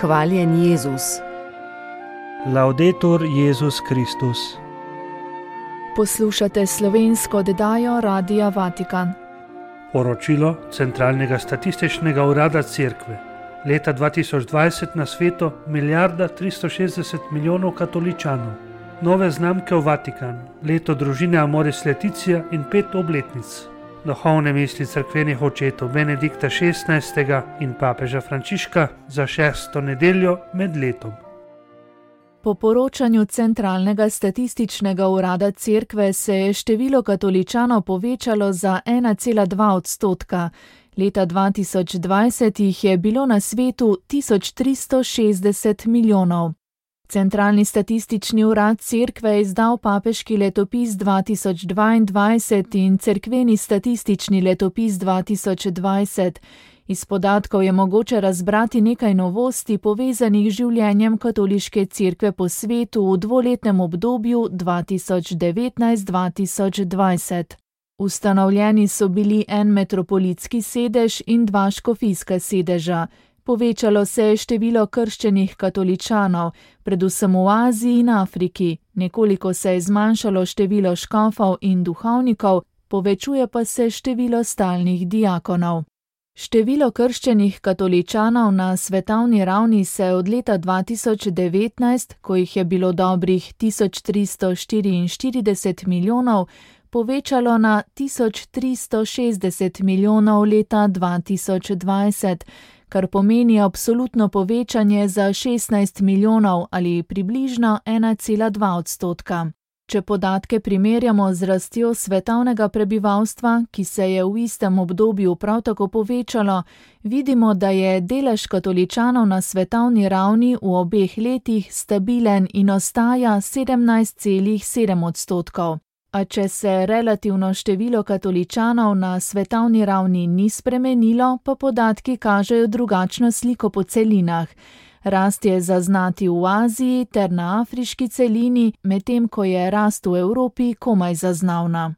Hvaljen Jezus. Laudetur Jezus Kristus. Poslušate slovensko oddajo Radia Vatikan. Poročilo Centralnega statističnega urada Cerkve. Leta 2020 na svetu 1,360 milijonov katoličanov. Nove znamke v Vatikanu, leto družine Amoris Laetitia in 5 obletnic. Duhovne misli cerkvenih očetov Benedikta XVI. In papeža Frančiška za 6. nedeljo med letom. Po poročanju Centralnega statističnega urada Cerkve se je število katoličanov povečalo za 1,2%. Leta 2020 jih je bilo na svetu 1360 milijonov. Centralni statistični urad Cerkve je izdal papeški letopis 2022 in cerkveni statistični letopis 2020. Iz podatkov je mogoče razbrati nekaj novosti povezanih z življenjem katoliške cerkve po svetu v dvoletnem obdobju 2019-2020. Ustanovljeni so bili en metropolitski sedež in 2 škofijska sedeža. Povečalo se je število krščenih katoličanov, predvsem v Aziji in Afriki. Nekoliko se je zmanjšalo število škofov in duhovnikov, povečuje pa se število stalnih diakonov. Število krščenih katoličanov na svetovni ravni se je od leta 2019, ko jih je bilo dobrih 1344 milijonov, povečalo na 1360 milijonov leta 2020, kar pomeni absolutno povečanje za 16 milijonov ali približno 1,2%. Če podatke primerjamo z rastjo svetovnega prebivalstva, ki se je v istem obdobju prav tako povečalo, vidimo, da je delež katoličanov na svetovni ravni v obeh letih stabilen in ostaja 17,7%. A če se relativno število katoličanov na svetovni ravni ni spremenilo, pa podatki kažejo drugačno sliko po celinah. Rast je zaznati v Aziji ter na afriški celini, medtem ko je rast v Evropi komaj zaznavna.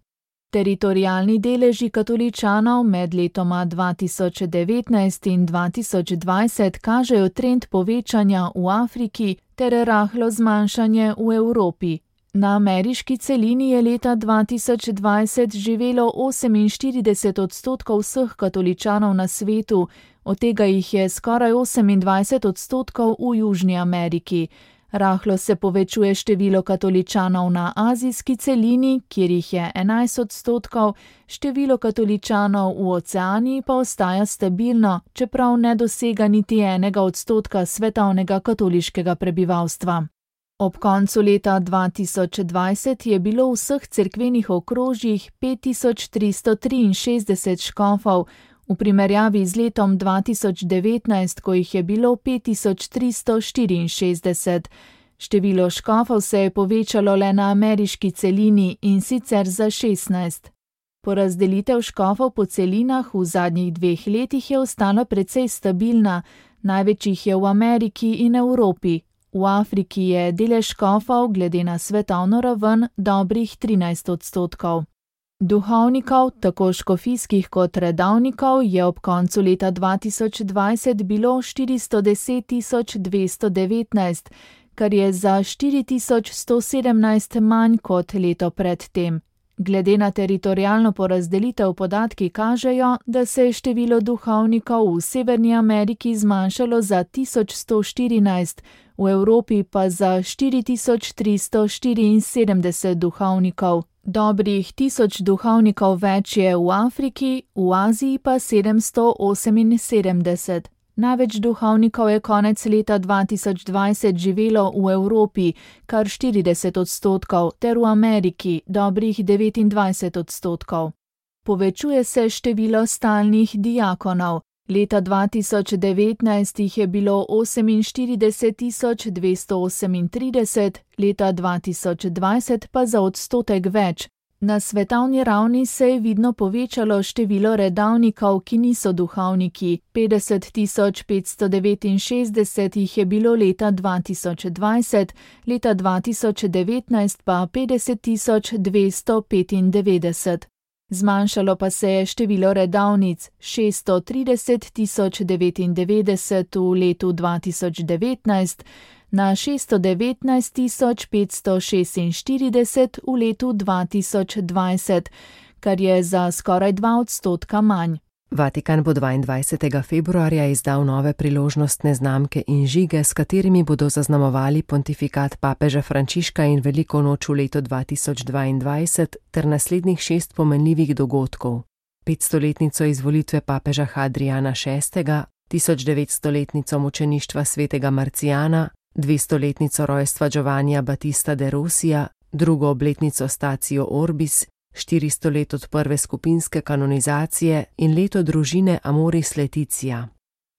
Teritorialni deleži katoličanov med letoma 2019 in 2020 kažejo trend povečanja v Afriki ter rahlo zmanjšanje v Evropi. Na ameriški celini je leta 2020 živelo 48% vseh katoličanov na svetu, od tega jih je skoraj 28% v Južni Ameriki. Rahlo se povečuje število katoličanov na azijski celini, kjer jih je 11%, število katoličanov v Oceaniji pa ostaja stabilno, čeprav ne dosega niti 1% svetovnega katoliškega prebivalstva. Ob koncu leta 2020 je bilo v vseh cerkvenih okrožjih 5363 škofov, v primerjavi z letom 2019, ko jih je bilo 5364. Število škofov se je povečalo le na ameriški celini in sicer za 16. Porazdelitev škofov po celinah v zadnjih 2 letih je ostala precej stabilna, največ jih je v Ameriki in Evropi. V Afriki je delež škofov glede na svetovno raven dobrih 13%. Duhovnikov, tako škofijskih kot redovnikov, je ob koncu leta 2020 bilo 410 219, kar je za 4117 manj kot leto predtem. Glede na teritorialno porazdelitev podatki kažejo, da se je število duhovnikov v Severni Ameriki zmanjšalo za 1114, v Evropi pa za 4374 duhovnikov. Dobrih 1000 duhovnikov več je v Afriki, v Aziji pa 778. Največ duhovnikov je konec leta 2020 živelo v Evropi, kar 40%, ter v Ameriki, dobrih 29%. Povečuje se število stalnih diakonov. Leta 2019 jih je bilo 48 238, leta 2020 pa za odstotek več. Na svetovni ravni se je vidno povečalo število redovnikov, ki niso duhovniki. 50 569 jih je bilo leta 2020, leta 2019 pa 50 295. Zmanjšalo pa se je število redavnic 630.099 v letu 2019 na 619.546 v letu 2020, kar je za skoraj 2% manj. Vatikan bo 22. februarja izdal nove priložnostne znamke in žige, s katerimi bodo zaznamovali pontifikat papeža Frančiška in veliko noč v letu 2022 ter naslednjih 6 pomenljivih dogodkov. 500-letnico izvolitve papeža Hadrijana VI, 1900-letnico mučeništva svetega Marcijana, 200-letnico rojstva Giovannija Battista de Rosija, 2. obletnico Statio Orbis, 400 let od prve skupinske kanonizacije in leto družine Amoris Laetitia.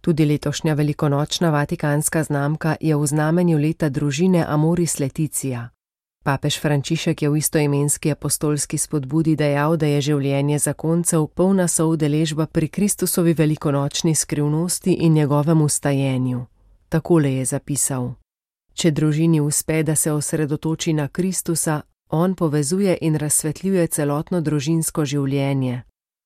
Tudi letošnja velikonočna vatikanska znamka je v znamenju leta družine Amoris Laetitia. Papež Frančišek je v istoimenski apostolski spodbudi dejal, da je življenje zakoncev polna soudeležba pri Kristusovi velikonočni skrivnosti in njegovem vstajenju. Takole je zapisal: Če družini uspe, da se osredotoči na Kristusa, on povezuje in razsvetljuje celotno družinsko življenje.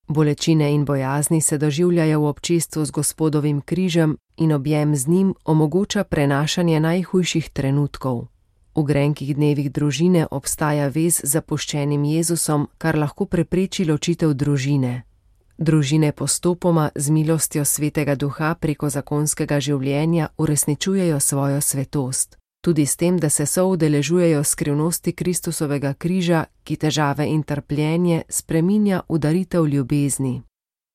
Bolečine in bojazni se doživljajo v občestvu z Gospodovim križem in objem z njim omogoča prenašanje najhujših trenutkov. V grenkih dnevih družine obstaja vez z zapuščenim Jezusom, kar lahko prepreči ločitev družine. Družine postopoma z milostjo Svetega Duha preko zakonskega življenja uresničujejo svojo svetost. Tudi s tem, da se soudeležujejo skrivnosti Kristusovega križa, ki težave in trpljenje spreminja v daritev ljubezni.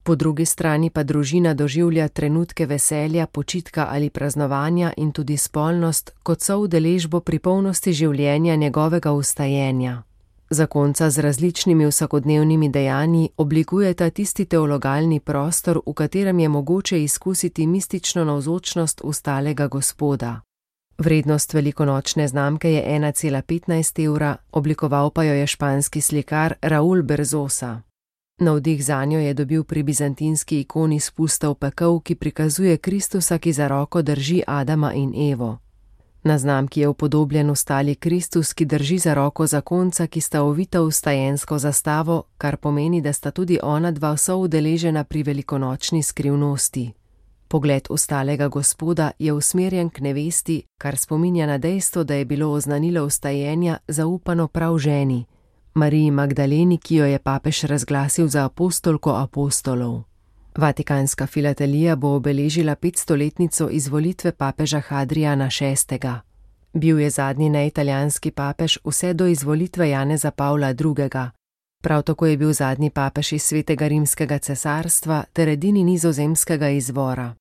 Po drugi strani pa družina doživlja trenutke veselja, počitka ali praznovanja in tudi spolnost kot soudeležbo pri polnosti življenja njegovega vstajenja. Zakonca z različnimi vsakodnevnimi dejanji oblikujeta tisti teologalni prostor, v katerem je mogoče izkusiti mistično navzočnost ustalega Gospoda. Vrednost velikonočne znamke je 1,15 evra, oblikoval pa jo je španski slikar Raúl Berzosa. Navdih zanjo je dobil pri bizantinski ikoni Spusta v pekel, ki prikazuje Kristusa, ki za roko drži Adama in Evo. Na znamki je upodobljen ustali Kristus, ki drži za roko zakonca, ki sta ovita v vstajensko zastavo, kar pomeni, da sta tudi ona dva soudeležena pri velikonočni skrivnosti. Pogled ustalega Gospoda je usmerjen k nevesti, kar spominja na dejstvo, da je bilo oznanilo vstajenja zaupano prav ženi, Mariji Magdaleni, ki jo je papež razglasil za apostolko apostolov. Vatikanska filatelija bo obeležila 500-letnico izvolitve papeža Hadrijana VI. Bil je zadnji neitalijanski papež vse do izvolitve Janeza Pavla II. Prav tako je bil zadnji papež iz Svetega rimskega cesarstva ter edini nizozemskega izvora.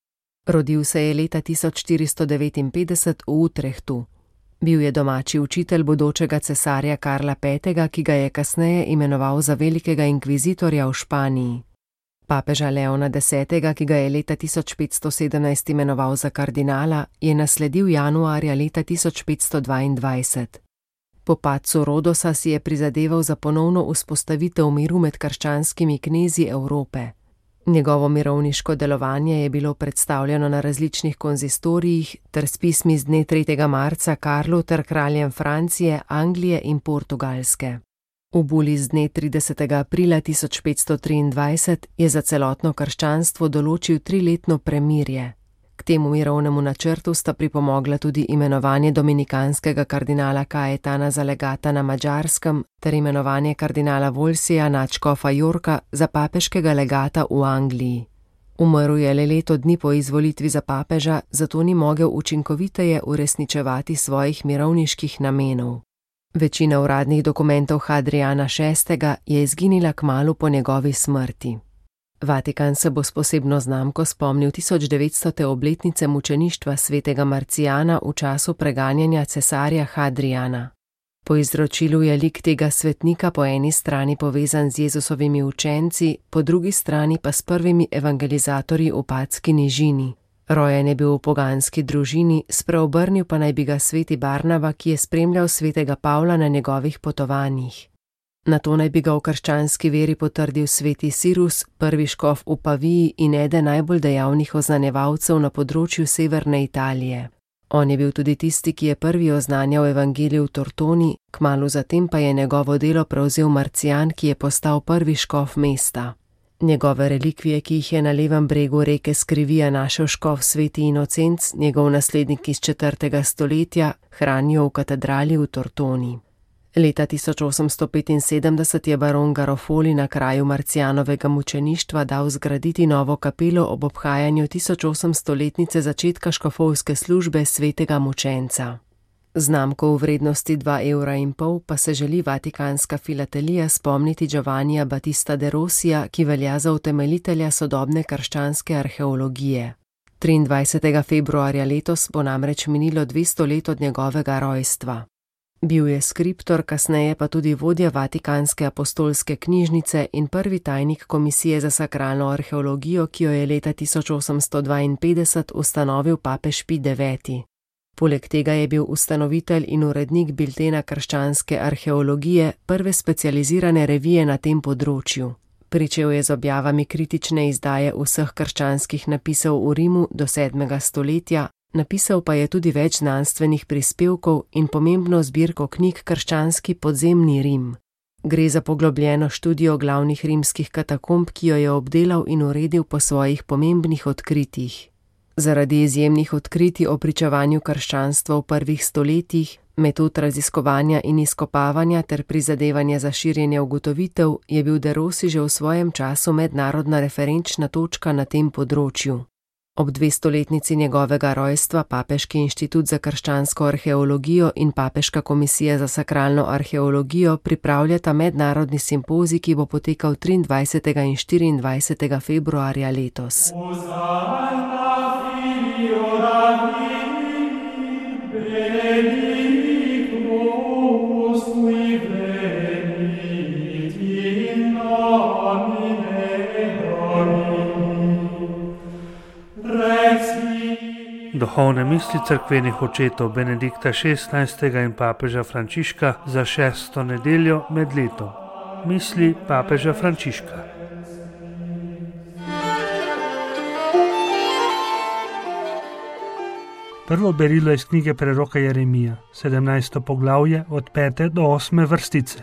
Rodil se je leta 1459 v Utrechtu. Bil je domači učitelj bodočega cesarja Karla V., ki ga je kasneje imenoval za velikega inkvizitorja v Španiji. Papeža Leona X., ki ga je leta 1517 imenoval za kardinala, je nasledil januarja leta 1522. Po padcu Rodosa si je prizadeval za ponovno vzpostavitev miru med krščanskimi knezi Evrope. Njegovo mirovniško delovanje je bilo predstavljeno na različnih konzistorijih ter s pismi z dne 3. marca Karlu ter kraljem Francije, Anglije in Portugalske. V buli z dne 30. aprila 1523 je za celotno krščanstvo določil 3-letno premirje. K temu mirovnemu načrtu sta pripomogla tudi imenovanje dominikanskega kardinala Kajetana za legata na Madžarskem ter imenovanje kardinala Wolsija nadškofa Yorka za papeškega legata v Angliji. Umrl je le leto dni po izvolitvi za papeža, zato ni mogel učinkoviteje uresničevati svojih mirovniških namenov. Večina uradnih dokumentov Hadrijana VI. Je izginila kmalu po njegovi smrti. Vatikan se bo s posebno znamko spomnil 1900. obletnice mučeništva svetega Marcijana v času preganjanja cesarja Hadrijana. Po izročilu je lik tega svetnika po eni strani povezan z Jezusovimi učenci, po drugi strani pa s prvimi evangelizatorji v Patski nižini. Rojen je bil v poganski družini, spreobrnil pa naj bi ga sveti Barnaba, ki je spremljal svetega Pavla na njegovih potovanjih. Nato naj bi ga v krščanski veri potrdil sveti Sirus, prvi škof v Paviji in eden najbolj dejavnih oznanjevalcev na področju severne Italije. On je bil tudi tisti, ki je prvi oznanjal evangelij v Tortoni, kmalu zatem pa je njegovo delo prevzel Marcijan, ki je postal prvi škof mesta. Njegove relikvije, ki jih je na levem bregu reke Skrivija našel škof Sveti Inocenc, njegov naslednik iz 4. stoletja, hranijo v katedrali v Tortoni. Leta 1875 je baron Garofoli na kraju Marcijanovega mučeništva dal zgraditi novo kapelo ob obhajanju 1800-letnice začetka škofovske službe svetega mučenca. Znamko v vrednosti 2,5 € pa se želi Vatikanska filatelija spomniti Giovannija Battista de Rosija, ki velja za utemeljitelja sodobne krščanske arheologije. 23. februarja letos bo namreč minilo 200 let od njegovega rojstva. Bil je skriptor, kasneje pa tudi vodja Vatikanske apostolske knjižnice in prvi tajnik Komisije za sakralno arheologijo, ki jo je leta 1852 ustanovil papež Pij IX. Poleg tega je bil ustanovitelj in urednik biltena krščanske arheologije, prve specializirane revije na tem področju. Pričel je z objavami kritične izdaje vseh krščanskih napisov v Rimu do 7. stoletja, napisal pa je tudi več znanstvenih prispevkov in pomembno zbirko knjig Krščanski podzemni Rim. Gre za poglobljeno študijo glavnih rimskih katakomb, ki jo je obdelal in uredil po svojih pomembnih odkritjih. Zaradi izjemnih odkritij o pričevanju krščanstva v prvih stoletjih, metod raziskovanja in izkopavanja ter prizadevanja za širjenje ugotovitev, je bil de Rossi že v svojem času mednarodna referenčna točka na tem področju. Ob 200-letnici njegovega rojstva Papeški inštitut za krščansko arheologijo in Papeška komisija za sakralno arheologijo pripravljata mednarodni simpozij, ki bo potekal 23. in 24. februarja letos. Duhovne misli cerkvenih očetov Benedikta XVI. In papeža Frančiška za 6. nedeljo med letom. Misli papeža Frančiška. Prvo berilo iz knjige preroka Jeremija, 17. poglavje od 5. do 8. vrstice.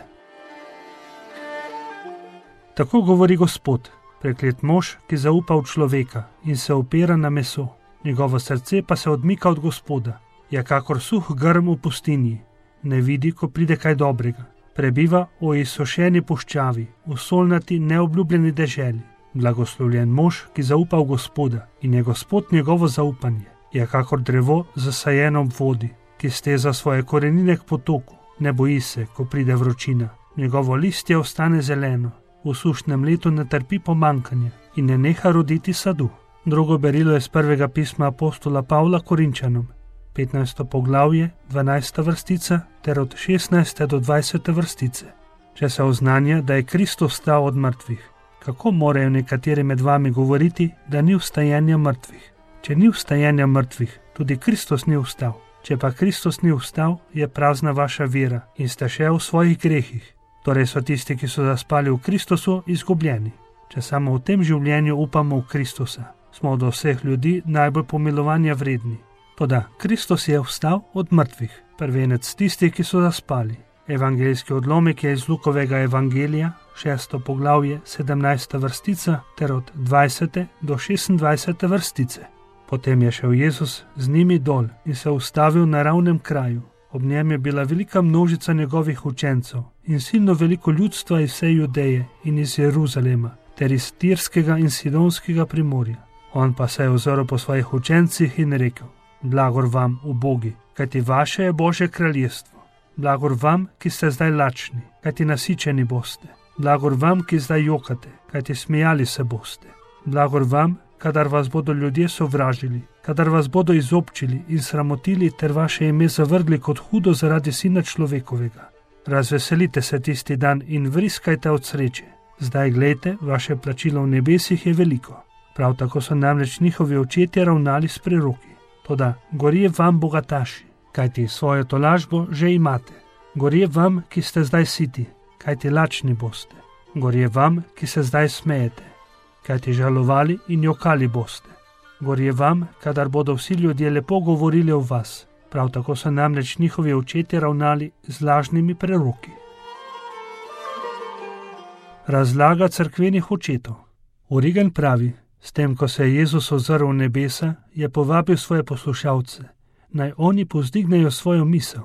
Tako govori Gospod, preklet mož, ki zaupa v človeka in se opira na meso. Njegovo srce pa se odmika od Gospoda, je kakor suh grm v pustinji, ne vidi, ko pride kaj dobrega. Prebiva v izsušeni puščavi, v solnati neobljubljeni deželi. Blagoslovljen mož, ki zaupa v Gospoda in je Gospod njegovo zaupanje. Je kakor drevo zasajeno ob vodi, ki steza svoje korenine k potoku. Ne boji se, ko pride vročina. Njegovo listje ostane zeleno, v sušnem letu ne trpi pomankanje in ne neha roditi sadu. Drugo berilo je z prvega pisma apostola Pavla Korinčanom, 15. poglavje, 12. vrstica ter od 16. do 20. vrstice. Če se oznanja, da je Kristus vstal od mrtvih, kako morajo nekateri med vami govoriti, da ni vstajenja mrtvih? Če ni vstajenja mrtvih, tudi Kristus ni vstal. Če pa Kristus ni vstal, je prazna vaša vera in ste še v svojih grehih. Torej so tisti, ki so zaspali v Kristusu, izgubljeni. Če samo v tem življenju upamo v Kristusa, smo od vseh ljudi najbolj pomilovanja vredni. Toda Kristus je vstal od mrtvih, prvenec tistih, ki so zaspali. Evangeljski odlomek je iz Lukovega evangelija, 6. poglavje, 17. vrstica ter od 20. do 26. vrstice. Potem je šel Jezus z njimi dol in se ustavil na ravnem kraju. Ob njem je bila velika množica njegovih učencev in silno veliko ljudstva iz vse Judeje in iz Jeruzalema ter iz Tirskega in Sidonskega primorja. On pa se je ozrl po svojih učencih in rekel: Blagor vam, ubogi, kajti vaše je Božje kraljestvo. Blagor vam, ki ste zdaj lačni, kajti nasičeni boste. Blagor vam, ki zdaj jokate, kajti smejali se boste. Blagor vam, kadar vas bodo ljudje sovražili, kadar vas bodo izobčili in sramotili ter vaše ime zavrgli kot hudo zaradi Sina človekovega. Razveselite se tisti dan in vriskajte od sreče. Zdaj glejte, vaše plačilo v nebesih je veliko. Prav tako so namreč njihovi očetje ravnali s preroki. Toda gorje vam, bogataši, kajti svojo tolažbo že imate. Gorje vam, ki ste zdaj siti, kajti lačni boste. Gorje vam, ki se zdaj smejete, kajti žalovali in jokali boste. Gorje vam, kadar bodo vsi ljudje lepo govorili o vas. Prav tako so namreč njihovi očetje ravnali z lažnimi preroki. Razlaga cerkvenih očetov. Origen pravi, s tem, ko se je Jezus ozrl v nebesa, je povabil svoje poslušalce, naj oni povzdignejo svojo misel.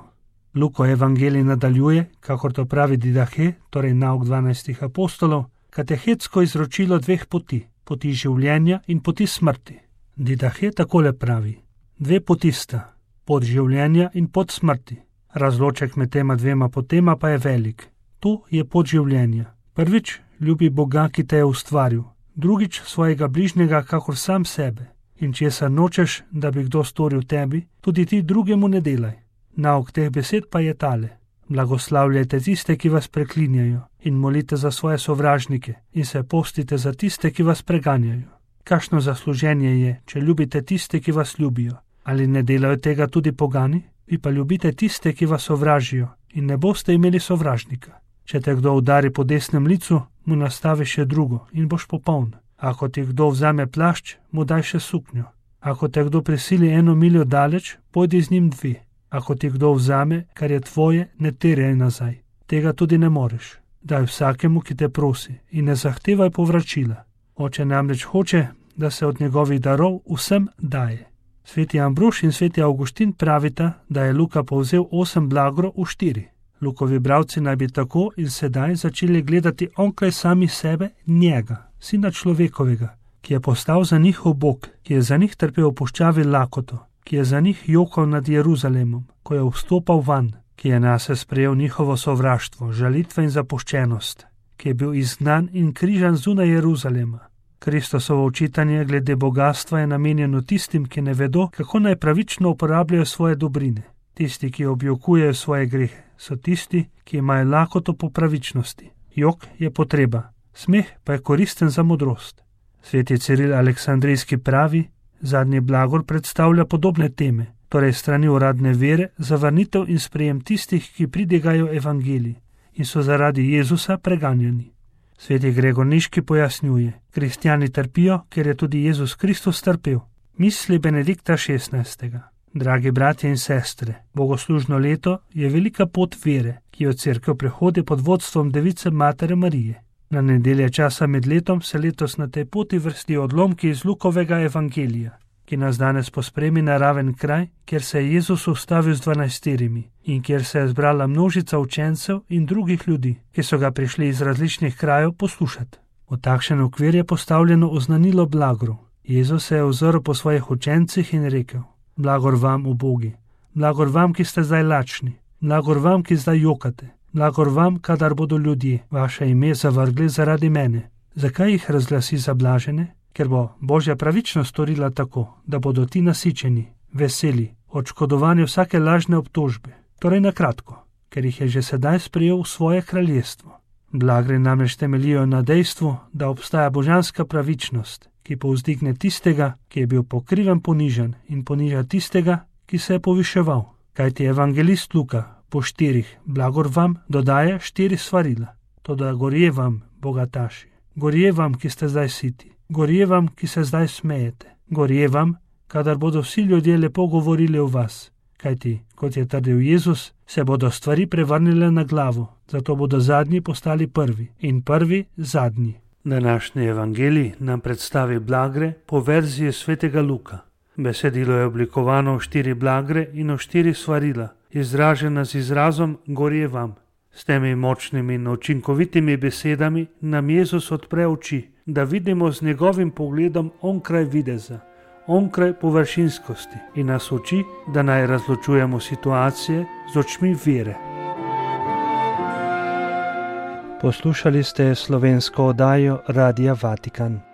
Luko evangelij nadaljuje, kakor to pravi Didahe, torej nauk 12 apostolov, katehetsko izročilo dveh poti, poti življenja in poti smrti. Didahe takole pravi, dve poti sta, pot življenja in pot smrti. Razloček med tema dvema potema pa je velik. To je pot življenja. Prvič, ljubi Boga, ki te je ustvaril. Drugič, svojega bližnjega, kakor sam sebe. In česar nočeš, da bi kdo storil tebi, tudi ti drugemu ne delaj. Nauk teh besed pa je tale. Blagoslavljajte tiste, ki vas preklinjajo, in molite za svoje sovražnike, in se postite za tiste, ki vas preganjajo. Kakšno zasluženje je, če ljubite tiste, ki vas ljubijo? Ali ne delajo tega tudi pogani? Vi pa ljubite tiste, ki vas sovražijo, in ne boste imeli sovražnika. Če te kdo udari po desnem licu, mu nastavi še drugo in boš popoln. Ako ti kdo vzame plašč, mu daj še suknjo. Ako te kdo prisili 1 miljo daleč, pojdi z njim 2. Ako ti kdo vzame, kar je tvoje, ne terjaj nazaj. Tega tudi ne moreš. Daj vsakemu, ki te prosi, in ne zahtevaj povračila. Oče namreč hoče, da se od njegovih darov vsem daje. Sveti Ambrož in sveti Avguštin pravita, da je Luka povzel 8 blagor v 4. Lukovi bralci naj bi tako in sedaj začeli gledati onkraj sami sebe, njega, sina človekovega, ki je postal za njihov Bog, ki je za njih trpel v puščavi lakoto, ki je za njih jokal nad Jeruzalemom, ko je vstopal van, ki je nase sprejel njihovo sovraštvo, žalitve in zapuščenost, ki je bil izgnan in križan zunaj Jeruzalema. Kristosovo učitanje glede bogastva je namenjeno tistim, ki ne vedo, kako naj pravično uporabljajo svoje dobrine. Tisti, ki objokujejo svoje grehe, so tisti, ki imajo lakoto po pravičnosti. Jok je potreba, smeh pa je koristen za modrost. Sveti Ciril Aleksandrijski pravi, zadnji blagor predstavlja podobne teme, torej strani uradne vere, zavrnitev in sprejem tistih, ki pridigajo evangelij in so zaradi Jezusa preganjani. Sveti Gregor Niški pojasnjuje, kristjani trpijo, ker je tudi Jezus Kristus trpel. Misli Benedikta XVI. Dragi bratje in sestre, bogoslužno leto je velika pot vere, ki jo cerkev prehodi pod vodstvom Device Matere Marije. Na nedelje časa med letom se letos na tej poti vrstijo odlomki iz Lukovega evangelija, ki nas danes pospremi na raven kraj, kjer se je Jezus ustavil z 12 in kjer se je zbrala množica učencev in drugih ljudi, ki so ga prišli iz različnih krajev poslušati. V takšen okvir je postavljeno oznanilo blagorov. Jezus se je ozrl po svojih učencih in rekel: Blagor vam, ubogi, blagor vam, ki ste zdaj lačni, blagor vam, ki zdaj jokate, blagor vam, kadar bodo ljudje vaše ime zavrgli zaradi mene. Zakaj jih razglasi za blažene? Ker bo Božja pravičnost storila tako, da bodo ti nasičeni, veseli, odškodovani vsake lažne obtožbe. Torej na kratko, ker jih je že sedaj sprejel v svoje kraljestvo. Blagre namreč temeljijo na dejstvu, da obstaja božanska pravičnost, ki povzdigne tistega, ki je bil po krivem ponižan, in poniža tistega, ki se je poviševal. Kajti evangelist Luka po 4 blagor vam dodaja 4 svarila. Toda gorje vam, bogataši, gorje vam, ki ste zdaj siti, gorje vam, ki se zdaj smejete, gorje vam, kadar bodo vsi ljudje lepo govorili o vas. Kajti, kot je trdil Jezus, se bodo stvari prevrnile na glavo, zato bodo zadnji postali prvi in prvi zadnji. Današnji evangelij nam predstavi blagre po verziji svetega Luka. Besedilo je oblikovano v 4 blagre in v 4 svarila, izražena z izrazom gorje vam. S temi močnimi in učinkovitimi besedami nam Jezus odpre oči, da vidimo z njegovim pogledom onkraj videza, onkraj površinskosti in nas uči, da naj razločujemo situacije z očmi vere. Poslušali ste slovensko oddajo Radia Vatikan.